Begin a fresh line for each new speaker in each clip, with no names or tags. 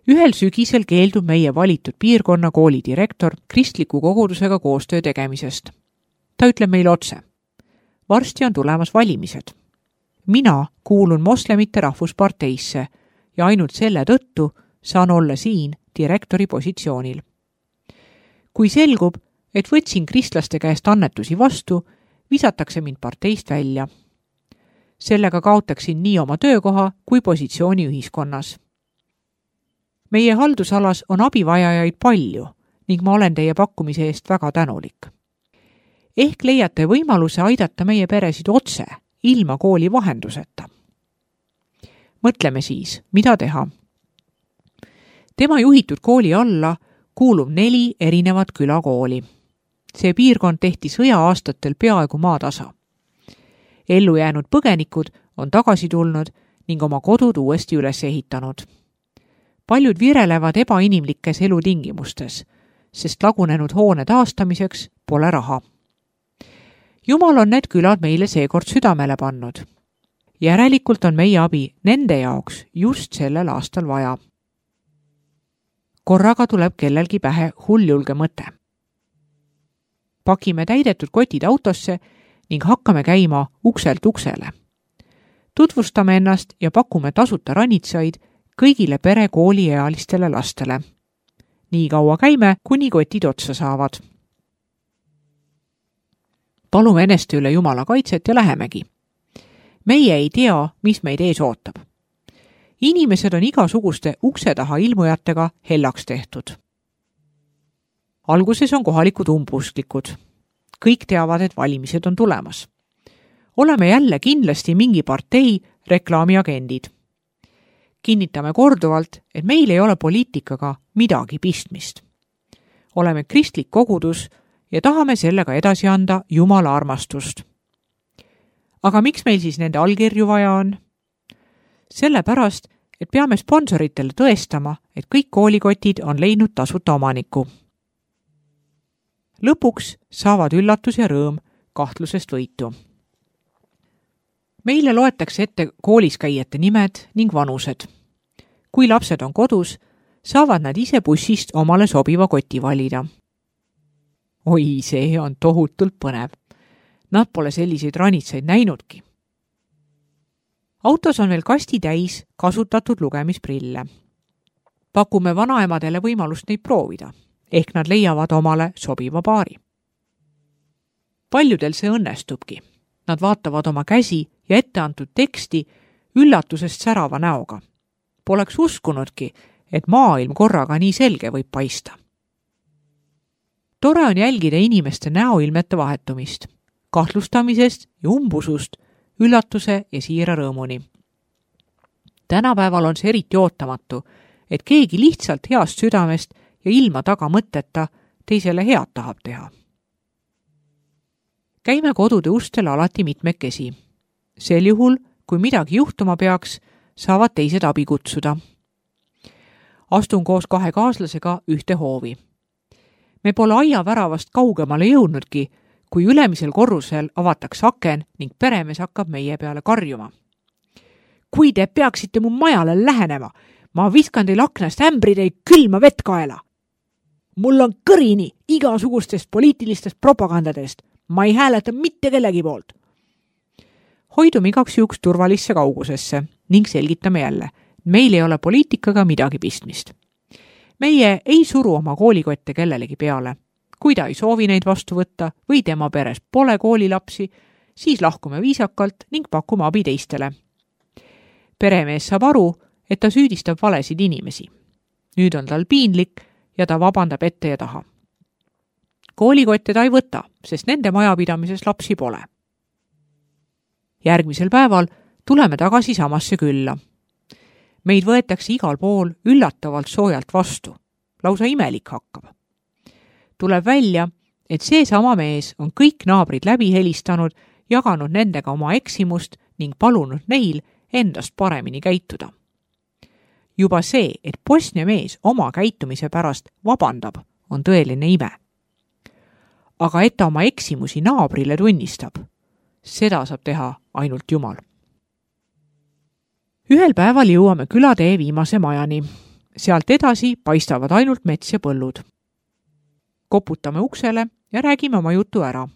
Ühel sügisel keeldub meie valitud piirkonna kooli direktor kristliku kogudusega koostöö tegemisest. Ta ütleb meile otse. Varsti on tulemas valimised. Mina kuulun moslemite rahvusparteisse ja ainult selle tõttu saan olla siin direktori positsioonil. Kui selgub, et võtsin kristlaste käest annetusi vastu, visatakse mind parteist välja. Sellega kaotaksin nii oma töökoha kui positsiooni ühiskonnas. Meie haldusalas on abivajajaid palju ning ma olen teie pakkumise eest väga tänulik. Ehk leiate võimaluse aidata meie peresid otse, ilma kooli vahenduseta. Mõtleme siis, mida teha. Tema juhitud kooli alla kuulub 4 erinevat külakooli. See piirkond tehti sõja-aastatel peaaegu maatasa. Ellu jäänud põgenikud on tagasi tulnud ning oma kodud uuesti üles ehitanud. Paljud virelevad ebainimlikes elutingimustes, sest lagunenud hoone taastamiseks pole raha. Jumal on need külad meile seekord südamele pannud. Järelikult on meie abi nende jaoks just sellel aastal vaja. Korraga tuleb kellelgi pähe hulljulge mõte. Pakime täidetud kotid autosse ning hakkame käima ukselt uksele. Tutvustame ennast ja pakume tasuta ranitsaid kõigile pere kooliealistele lastele. Nii kaua käime, kuni kotid otsa saavad. Palume eneste üle Jumala kaitset ja lähemegi. Meie ei tea, mis meid ees ootab. Inimesed on igasuguste ukse taha ilmujatega hellaks tehtud. Alguses on kohalikud umbusklikud. Kõik teavad, et valimised on tulemas. Oleme jälle kindlasti mingi partei reklaamiagendid. Kinnitame korduvalt, et meil ei ole poliitikaga midagi pistmist. Oleme kristlik kogudus ja tahame sellega edasi anda Jumala armastust. Aga miks meil siis nende allkirju vaja on? Sellepärast, et peame sponsoritele tõestama, et kõik koolikotid on leidnud tasuta omaniku. Lõpuks saavad üllatus ja rõõm kahtlusest võitu. Meile loetakse ette koolis käijate nimed ning vanused. Kui lapsed on kodus, saavad nad ise bussist omale sobiva koti valida. Oi, see on tohutult põnev. Nad pole selliseid ranitsaid näinudki. Autos on veel kasti täis kasutatud lugemisprille. Pakume vanaemadele võimalust neid proovida, ehk nad leiavad omale sobiva paari. Paljudel see õnnestubki. Nad vaatavad oma käsi ja etteantud teksti üllatusest särava näoga. Poleks uskunudki, et maailm korraga nii selge võib paista. Tore on jälgida inimeste näoilmete vahetumist, kahtlustamisest ja umbusust, üllatuse ja siira rõõmuni. Tänapäeval on see eriti ootamatu, et keegi lihtsalt heast südamest ja ilma taga mõtteta teisele head tahab teha. Käime kodude ustel alati mitmekesi. Sel juhul, kui midagi juhtuma peaks, saavad teised abi kutsuda. Astun koos 2 kaaslasega ühte hoovi. Me pole aiaväravast kaugemale jõudnudki, kui ülemisel korrusel avatakse aken ning peremees hakkab meie peale karjuma. Kui te peaksite mu majale lähenema, ma viskan teil aknast ämbrideid külma vett kaela. Mul on kõrini igasugustest poliitilistest propagandadest. Ma ei hääleta mitte kellegi poolt. Hoidume igaks juhuks turvalisse kaugusesse ning selgitame jälle. Meil ei ole poliitikaga midagi pistmist. Meie ei suru oma koolikotte kellelegi peale. Kui ta ei soovi neid vastu võtta või tema peres pole koolilapsi, siis lahkume viisakalt ning pakume abi teistele. Peremees saab aru, et ta süüdistab valesid inimesi. Nüüd on tal piinlik ja ta vabandab ette ja taha. Koolikotte ta ei võta, sest nende majapidamises lapsi pole. Järgmisel päeval tuleme tagasi samasse külla. Meid võetakse igal pool üllatavalt soojalt vastu. Lausa imelik hakkab. Tuleb välja, et see sama mees on kõik naabrid läbi helistanud, jaganud nendega oma eksimust ning palunud neil endast paremini käituda. Juba see, et Bosnia mees oma käitumise pärast vabandab, on tõeline ime. Aga et ta oma eksimusi naabrile tunnistab, seda saab teha ainult Jumal. Ühel päeval jõuame külatee viimase majani. Sealt edasi paistavad ainult mets ja põllud. Koputame uksele ja räägime oma jutu ära.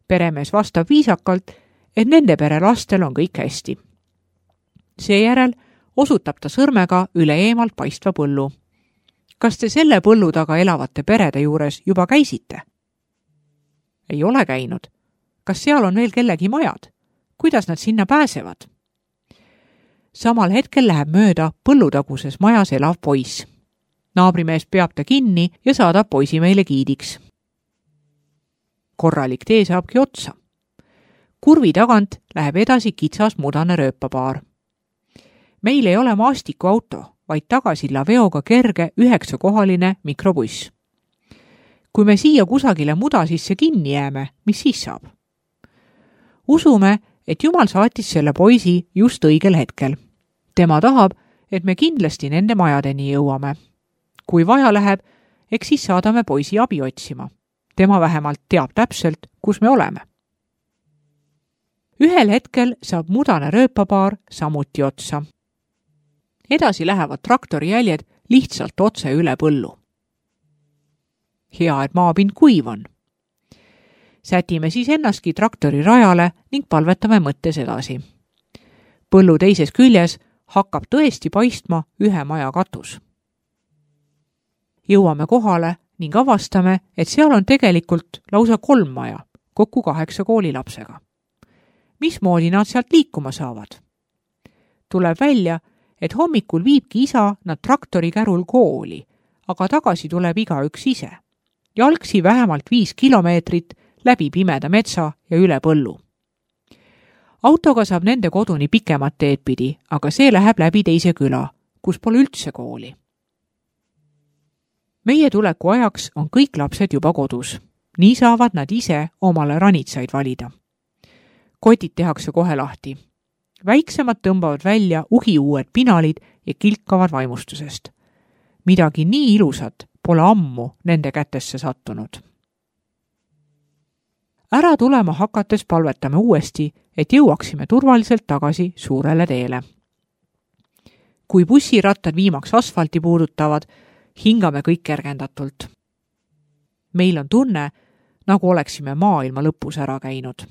Peremees vastab viisakalt, et nende pere lastel on kõik hästi. Seejärel osutab ta sõrmega üle eemalt paistva põllu. Kas te selle põllu taga elavate perede juures juba käisite? Ei ole käinud. Kas seal on veel kellegi majad? Kuidas nad sinna pääsevad? Samal hetkel läheb mööda põllutaguses majas elav poiss. Naabrimees peab ta kinni ja saadab poisi meile giidiks. Korralik tee saabki otsa. Kurvi tagant läheb edasi kitsas mudane rööpapaar. Meil ei ole maastikuauto, vaid tagasilla veoga kerge 9-kohaline mikrobuss. Kui me siia kusagile muda sisse kinni jääme, mis siis saab? Usume, et Jumal saatis selle poisi just õigel hetkel. Tema tahab, et me kindlasti nende majadeni jõuame. Kui vaja läheb, eks siis saadame poisi abi otsima. Tema vähemalt teab täpselt, kus me oleme. Ühel hetkel saab mudane rööpapaar samuti otsa. Edasi lähevad traktori jäljed lihtsalt otse üle põllu. Hea, et maapind kuiv on. Sätime siis ennastki traktori rajale ning palvetame mõttes edasi. Põllu teises küljes hakkab tõesti paistma ühe maja katus. Jõuame kohale ning avastame, et seal on tegelikult lausa 3 maja, kokku 8 koolilapsega. Mismoodi nad sealt liikuma saavad? Tuleb välja, et hommikul viibki isa nad traktori kärul kooli, aga tagasi tuleb igaüks ise. Jalgsi vähemalt 5 kilomeetrit läbi pimeda metsa ja üle põllu. Autoga saab nende koduni pikemat teed pidi, aga see läheb läbi teise küla, kus pole üldse kooli. Meie tuleku ajaks on kõik lapsed juba kodus. Nii saavad nad ise omale ranitsaid valida. Kotid tehakse kohe lahti. Väiksemad tõmbavad välja uhiuued pinalid ja kilkavad vaimustusest. Midagi nii ilusat pole ammu nende kätesse sattunud. Ära tulema hakates palvetame uuesti, et jõuaksime turvaliselt tagasi suurele teele. Kui bussirattad viimaks asfalti puudutavad, hingame kõik kergendatult. Meil on tunne, nagu oleksime maailma lõpus ära käinud.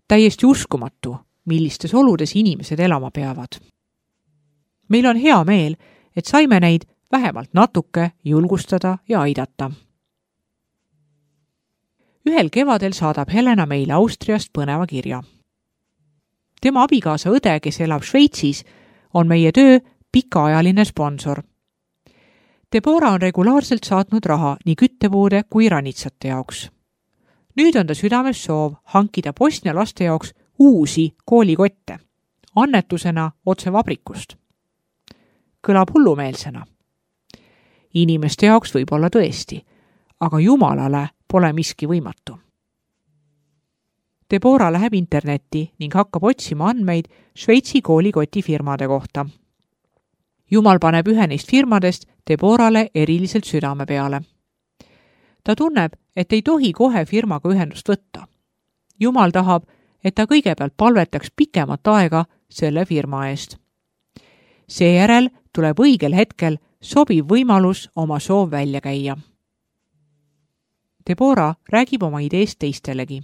Täiesti uskumatu, millistes oludes inimesed elama peavad. Meil on hea meel, et saime neid vähemalt natuke julgustada ja aidata. Ühel kevadel saadab Helena meile Austriast põneva kirja. Tema abikaasa õde, kes elab Šveitsis, on meie töö pikaajaline sponsor. Deborah on regulaarselt saatnud raha nii küttepuude kui ranitsate jaoks. Nüüd on ta südames soov hankida Bosnia laste jaoks uusi koolikotte, annetusena otse vabrikust. Kõlab hullumeelsena. Inimeste jaoks võib olla tõesti, aga Jumalale pole miski võimatu. Deborah läheb internetti ning hakkab otsima andmeid Šveitsi koolikotifirmade kohta. Jumal paneb ühe neist firmadest Deborale eriliselt südame peale. Ta tunneb, et ei tohi kohe firmaga ühendust võtta. Jumal tahab, et ta kõigepealt palvetaks pikemat aega selle firma eest. Seejärel tuleb õigel hetkel sobiv võimalus oma soov välja käia. Deborah räägib oma ideest teistelegi.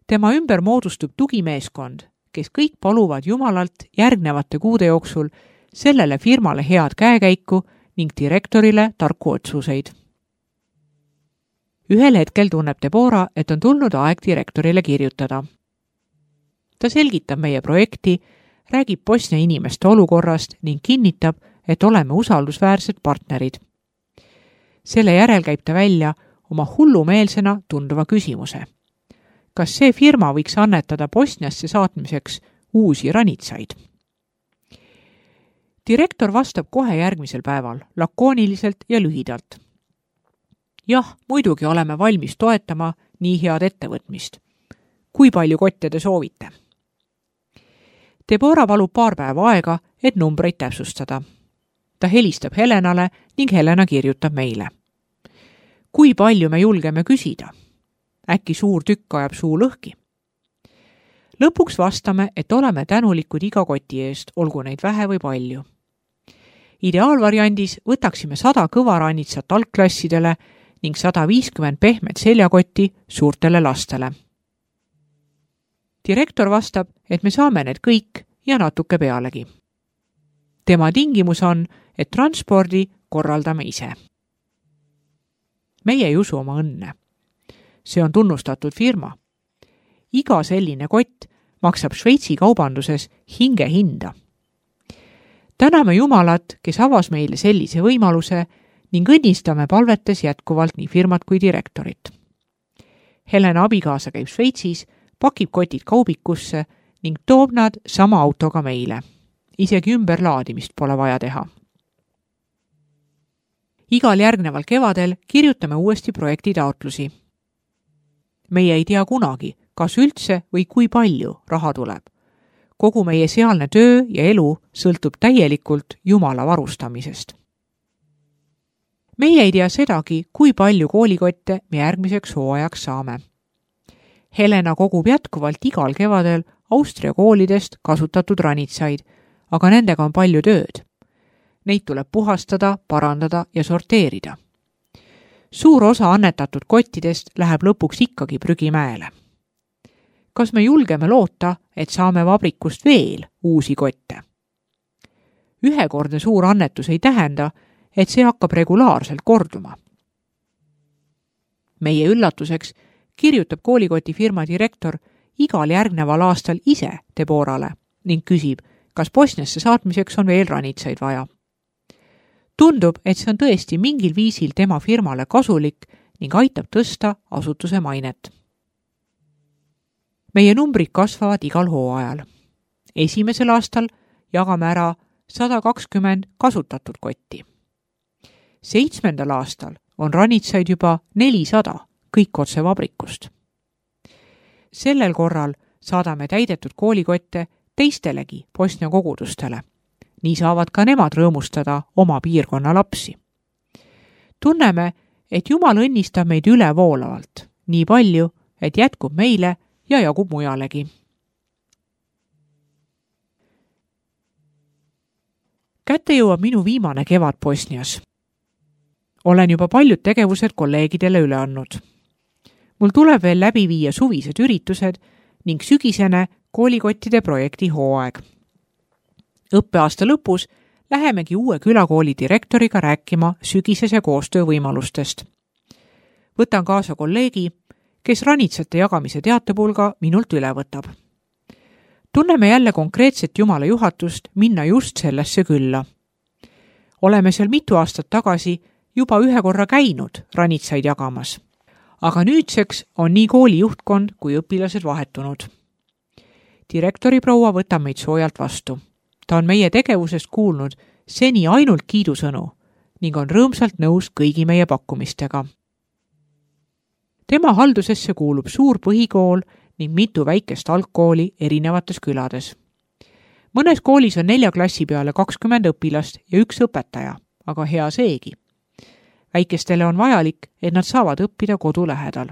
Tema ümber moodustub tugimeeskond, kes kõik paluvad Jumalalt järgnevate kuude jooksul sellele firmale head käekäiku ning direktorile tarku otsuseid. Ühel hetkel tunneb Deborah, et on tulnud aeg direktorile kirjutada. Ta selgitab meie projekti, räägib Bosnia inimeste olukorrast ning kinnitab, et oleme usaldusväärsed partnerid. Selle järel käib ta välja oma hullumeelsena tunduva küsimuse. Kas see firma võiks annetada Bosniasse saatmiseks uusi ranitsaid? Direktor vastab kohe järgmisel päeval, lakooniliselt ja lühidalt. Jah, muidugi oleme valmis toetama nii head ettevõtmist. Kui palju kotte te soovite? Deborah palub paar päeva aega, et numbreid täpsustada. Ta helistab Helenale ning Helena kirjutab meile. Kui palju me julgeme küsida? Äkki suur tükk ajab suu lõhki? Lõpuks vastame, et oleme tänulikud iga koti eest, olgu neid vähe või palju. Ideaalvariandis võtaksime 100 kõvaranitsat algklassidele ning 150 pehmet seljakotti suurtele lastele. Direktor vastab, et me saame need kõik ja natuke pealegi. Tema tingimus on, et transpordi korraldame ise. Meie ei usu oma õnne. See on tunnustatud firma. Iga selline kott maksab Šveitsi kaubanduses hingehinda. Täname Jumalat, kes avas meile sellise võimaluse ning õnnistame palvetes jätkuvalt nii firmat kui direktorit. Helena abikaasa käib Šveitsis, pakib kotid kaubikusse ning toob nad sama autoga meile. Isegi ümberlaadimist pole vaja teha. Igal järgneval kevadel kirjutame uuesti projektitaotlusi. Meie ei tea kunagi, kas üldse või kui palju raha tuleb. Kogu meie sealne töö ja elu sõltub täielikult Jumala varustamisest. Meie ei tea sedagi, kui palju koolikotte me järgmiseks hooajaks saame. Helena kogub jätkuvalt igal kevadel Austria koolidest kasutatud ranitsaid, aga nendega on palju tööd. Neid tuleb puhastada, parandada ja sorteerida. Suur osa annetatud kottidest läheb lõpuks ikkagi prügimäele. Kas me julgeme loota, et saame vabrikust veel uusi kotte? Ühekordne suur annetus ei tähenda, et see hakkab regulaarselt korduma. Meie üllatuseks kirjutab koolikoti firma direktor igal järgneval aastal ise Deborale ning küsib, kas Bosniasse saatmiseks on veel ranitsaid vaja. Tundub, et see on tõesti mingil viisil tema firmale kasulik ning aitab tõsta asutuse mainet. Meie numbrid kasvavad igal hooajal. Esimesel aastal jagame ära 120 kasutatud kotti. 7. aastal on ranitsaid juba 400, kõik otse vabrikust. Sellel korral saadame täidetud koolikotte teistelegi Bosnia kogudustele. Nii saavad ka nemad rõõmustada oma piirkonna lapsi. Tunneme, et Jumal õnnistab meid ülevoolavalt, nii palju, et jätkub meile ja jagub mujalegi. Kätte jõuab minu viimane kevad Bosnias. Olen juba paljud tegevused kolleegidele üle andnud. Mul tuleb veel läbi viia suvised üritused ning sügisene koolikottide projekti hooaeg. Õppeaasta lõpus lähemegi uue külakooli direktoriga rääkima sügisese koostöövõimalustest. Võtan kaasa kolleegi, kes ranitsate jagamise teatepulga minult üle võtab. Tunneme jälle konkreetset Jumala juhatust minna just sellesse külla. Oleme seal mitu aastat tagasi juba ühe korra käinud ranitsaid jagamas, aga nüüdseks on nii kooli juhtkond kui õpilased vahetunud. Direktori proua võtab meid soojalt vastu. Ta on meie tegevusest kuulnud seni ainult kiidusõnu ning on rõõmsalt nõus kõigi meie pakkumistega. Tema haldusesse kuulub suur põhikool ning mitu väikest algkooli erinevates külades. Mõnes koolis on 4 klassi peale 20 õpilast ja 1 õpetaja, aga hea seegi. Väikestele on vajalik, et nad saavad õppida kodu lähedal.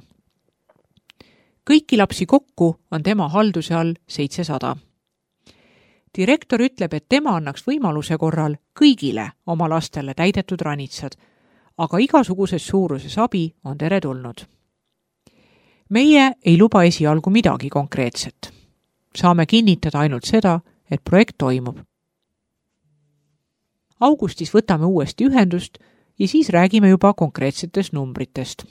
Kõiki lapsi kokku on tema halduse all 700. Direktor ütleb, et tema annaks võimaluse korral kõigile oma lastele täidetud ranitsad, aga igasuguses suuruses abi on teretulnud. Meie ei luba esialgu midagi konkreetset. Saame kinnitada ainult seda, et projekt toimub. Augustis võtame uuesti ühendust ja siis räägime juba konkreetsetest numbritest.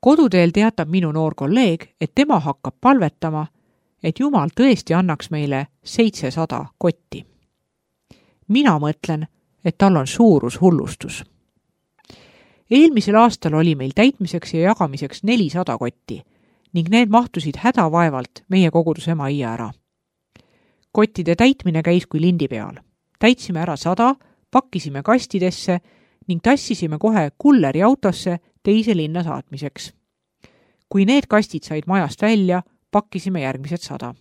Koduteel teatab minu noor kolleeg, et tema hakkab palvetama, et Jumal tõesti annaks meile 700 kotti. Mina mõtlen, et tal on suurus hullustus. Eelmisel aastal oli meil täitmiseks ja jagamiseks 400 kotti ning need mahtusid hädavaevalt meie koguduse majja ära. Kottide täitmine käis kui lindi peal. Täitsime ära 100, pakkisime kastidesse ning tassisime kohe kulleri autosse teise linna saatmiseks. Kui need kastid said majast välja, pakkisime järgmised 100.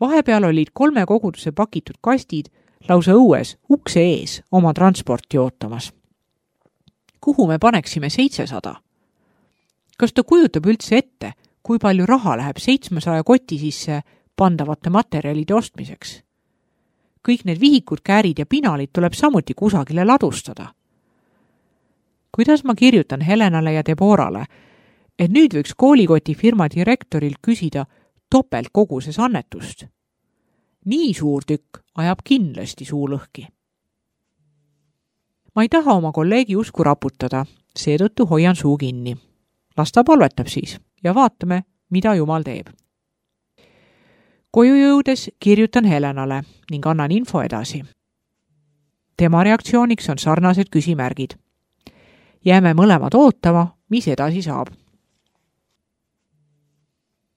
Vahepeal olid 3 koguduse pakitud kastid lausa õues ukse ees oma transporti ootamas. Kuhu me paneksime 700? Kas ta kujutab üldse ette, kui palju raha läheb 700 koti sisse pandavate materjalide ostmiseks? kõik need vihikud, käärid ja pinalid tuleb samuti kusagile ladustada. Kuidas ma kirjutan Helenale ja Deborale, et nüüd võiks koolikotifirma direktoril küsida topeltkoguses annetust? Nii suur tükk ajab kindlasti suu lõhki. Ma ei taha oma kolleegi usku raputada, seetõttu hoian suu kinni. Las ta palvetab siis ja vaatame, mida Jumal teeb. Koju jõudes kirjutan Helenale ning annan info edasi. Tema reaktsiooniks on sarnased küsimärgid. Jääme mõlemad ootama, mis edasi saab.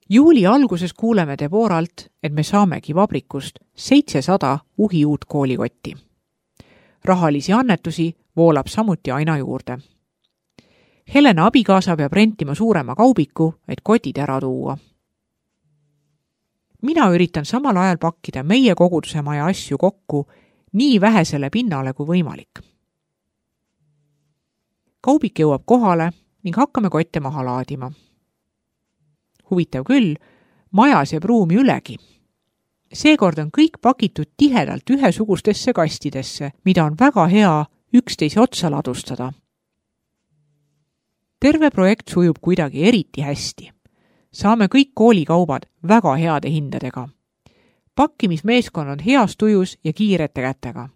Juuli alguses kuuleme Deboralt, et me saamegi vabrikust 700 uhiuut koolikotti. Rahalisi annetusi voolab samuti aina juurde. Helena abikaasa peab rentima suurema kaubiku, et kotid ära tuua. Mina üritan samal ajal pakkida meie koguduse maja asju kokku nii vähesele pinnale kui võimalik. Kaubik jõuab kohale ning hakkame kotte maha laadima. Huvitav küll, majas jääb ruumi ülegi. Seekord on kõik pakitud tihedalt ühesugustesse kastidesse, mida on väga hea üksteise otsa ladustada. Terve projekt sujub kuidagi eriti hästi. Saame kõik koolikaubad väga heade hindadega. Pakkimismeeskond on heas tujus ja kiirete kätega.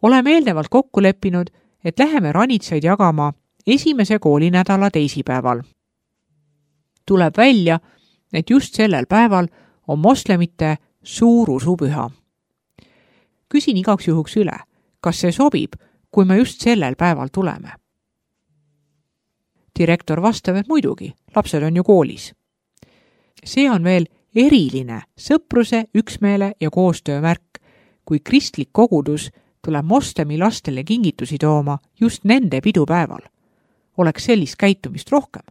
Oleme eelnevalt kokku leppinud, et läheme ranitsaid jagama esimese koolinädala teisipäeval. Tuleb välja, et just sellel päeval on moslemite suur usupüha. Küsin igaks juhuks üle, kas see sobib, kui me just sellel päeval tuleme. Direktor vastab, et muidugi, lapsed on ju koolis. See on veel eriline sõpruse, üksmeele ja koostöö märk, kui kristlik kogudus tuleb moslemi lastele kingitusi tooma just nende pidupäeval. Oleks sellist käitumist rohkem.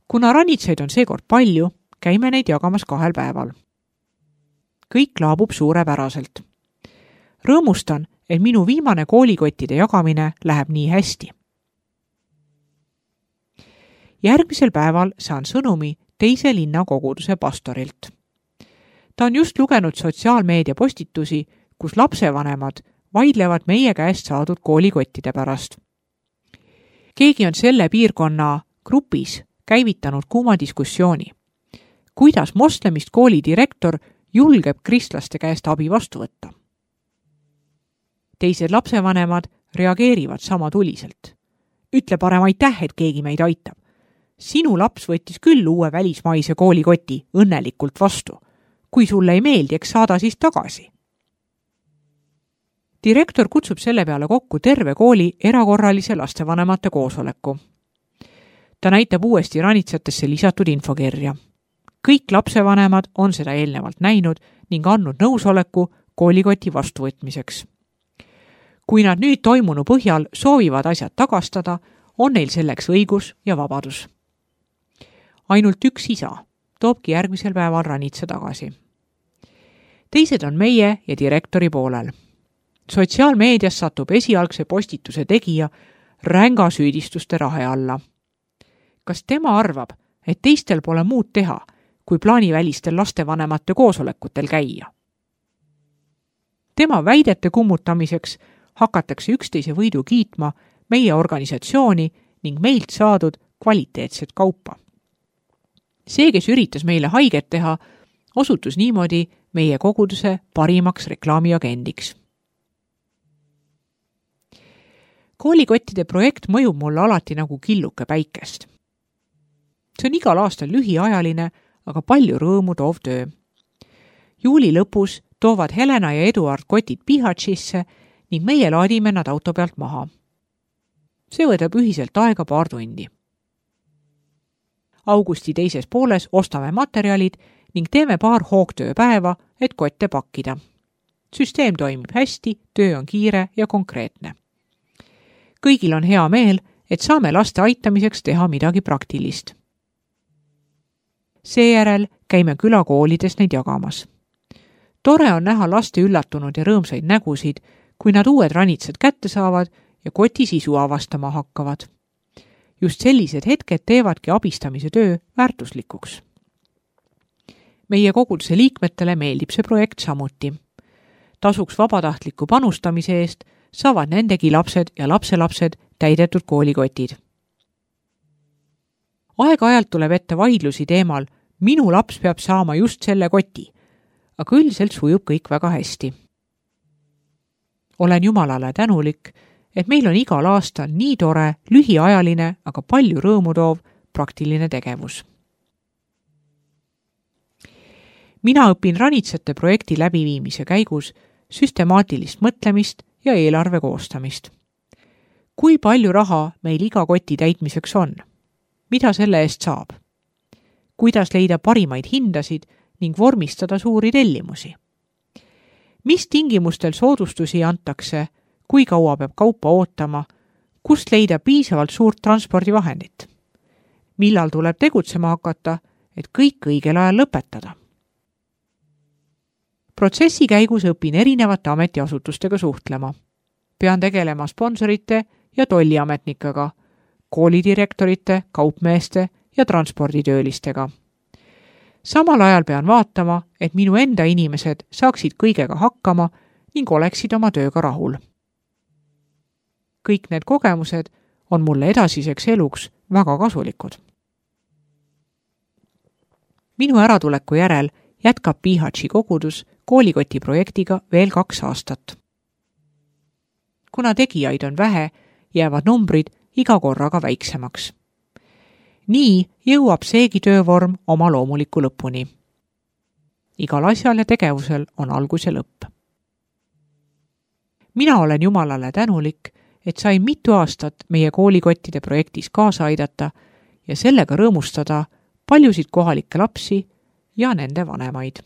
Kuna ranitsaid on seekord palju, käime neid jagamas 2 päeval. Kõik laabub suurepäraselt. Rõõmustan, et minu viimane koolikottide jagamine läheb nii hästi. Järgmisel päeval saan sõnumi teise linna koguduse pastorilt. Ta on just lugenud sotsiaalmeedia postitusi, kus lapsevanemad vaidlevad meie käest saadud koolikottide pärast. Keegi on selle piirkonna grupis käivitanud kuuma diskussiooni. Kuidas moslemist kooli direktor julgeb kristlaste käest abi vastu võtta? Teised lapsevanemad reageerivad sama tuliselt. Ütle parem aitäh, et keegi meid aitab. Sinu laps võttis küll uue välismaise koolikoti õnnelikult vastu. Kui sulle ei meeldi, eks saada siis tagasi. Direktor kutsub selle peale kokku terve kooli erakorralise lastevanemate koosoleku. Ta näitab uuesti ranitsatesse lisatud infokirja. Kõik lapsevanemad on seda eelnevalt näinud ning andnud nõusoleku koolikoti vastuvõtmiseks. Kui nad nüüd toimunu põhjal soovivad asjad tagastada, on neil selleks õigus ja vabadus. Ainult üks isa toobki järgmisel päeval ranitsa tagasi. Teised on meie ja direktori poolel. Sotsiaalmeedias satub esialgse postituse tegija ränga süüdistuste rahe alla. Kas tema arvab, et teistel pole muud teha, kui plaanivälistel lastevanemate koosolekutel käia? Tema väidete kummutamiseks hakatakse üksteise võidu kiitma meie organisatsiooni ning meilt saadud kvaliteetset kaupa. See, kes üritas meile haiget teha, osutus niimoodi meie koguduse parimaks reklaamiagendiks. Koolikottide projekt mõjub mulle alati nagu killuke päikest. See on igal aastal lühiajaline, aga palju rõõmu toov töö. Juuli lõpus toovad Helena ja Eduard kotid Pihatsisse ning meie laadime nad auto pealt maha. See võtab ühiselt aega 2 tundi. Augusti teises pooles ostame materjalid ning teeme 2 hoogtööpäeva, et kotte pakkida. Süsteem toimib hästi, töö on kiire ja konkreetne. Kõigil on hea meel, et saame laste aitamiseks teha midagi praktilist. Seejärel käime külakoolides neid jagamas. Tore on näha laste üllatunud ja rõõmsaid nägusid, kui nad uued ranitsad kätte saavad ja koti sisu avastama hakkavad. Just sellised hetked teevadki abistamise töö väärtuslikuks. Meie koguduse liikmetele meeldib see projekt samuti. Tasuks vabatahtliku panustamise eest saavad nendegi lapsed ja lapselapsed täidetud koolikotid. Aeg-ajalt tuleb ette vaidlusi teemal, minu laps peab saama just selle koti, aga üldiselt sujub kõik väga hästi. Olen Jumalale tänulik, et meil on igal aastal nii tore, lühiajaline, aga palju rõõmu toov praktiline tegevus. Mina õpin ranitsate projekti läbiviimise käigus süstemaatilist mõtlemist ja eelarve koostamist. Kui palju raha meil iga koti täitmiseks on? Mida selle eest saab? Kuidas leida parimaid hindasid ning vormistada suuri tellimusi? Mis tingimustel soodustusi antakse, kui kaua peab kaupa ootama, kust leida piisavalt suurt transpordivahendit? Millal tuleb tegutsema hakata, et kõik õigel ajal lõpetada? Protsessi käigus õpin erinevate ametiasutustega suhtlema. Pean tegelema sponsorite ja tolliametnikega, koolidirektorite, kaupmeeste ja transporditöölistega. Samal ajal pean vaatama, et minu enda inimesed saaksid kõigega hakkama ning oleksid oma tööga rahul. Kõik need kogemused on mulle edasiseks eluks väga kasulikud. Minu äratuleku järel jätkab Pihatši kogudus koolikoti projektiga veel 2 aastat. Kuna tegijaid on vähe, jäävad numbrid iga korraga väiksemaks. Nii jõuab seegi töövorm oma loomuliku lõpuni. Igal asjal ja tegevusel on algus ja lõpp. Mina olen Jumalale tänulik, et sain mitu aastat meie koolikottide projektis kaasa aidata ja sellega rõõmustada paljusid kohalikke lapsi ja nende vanemaid.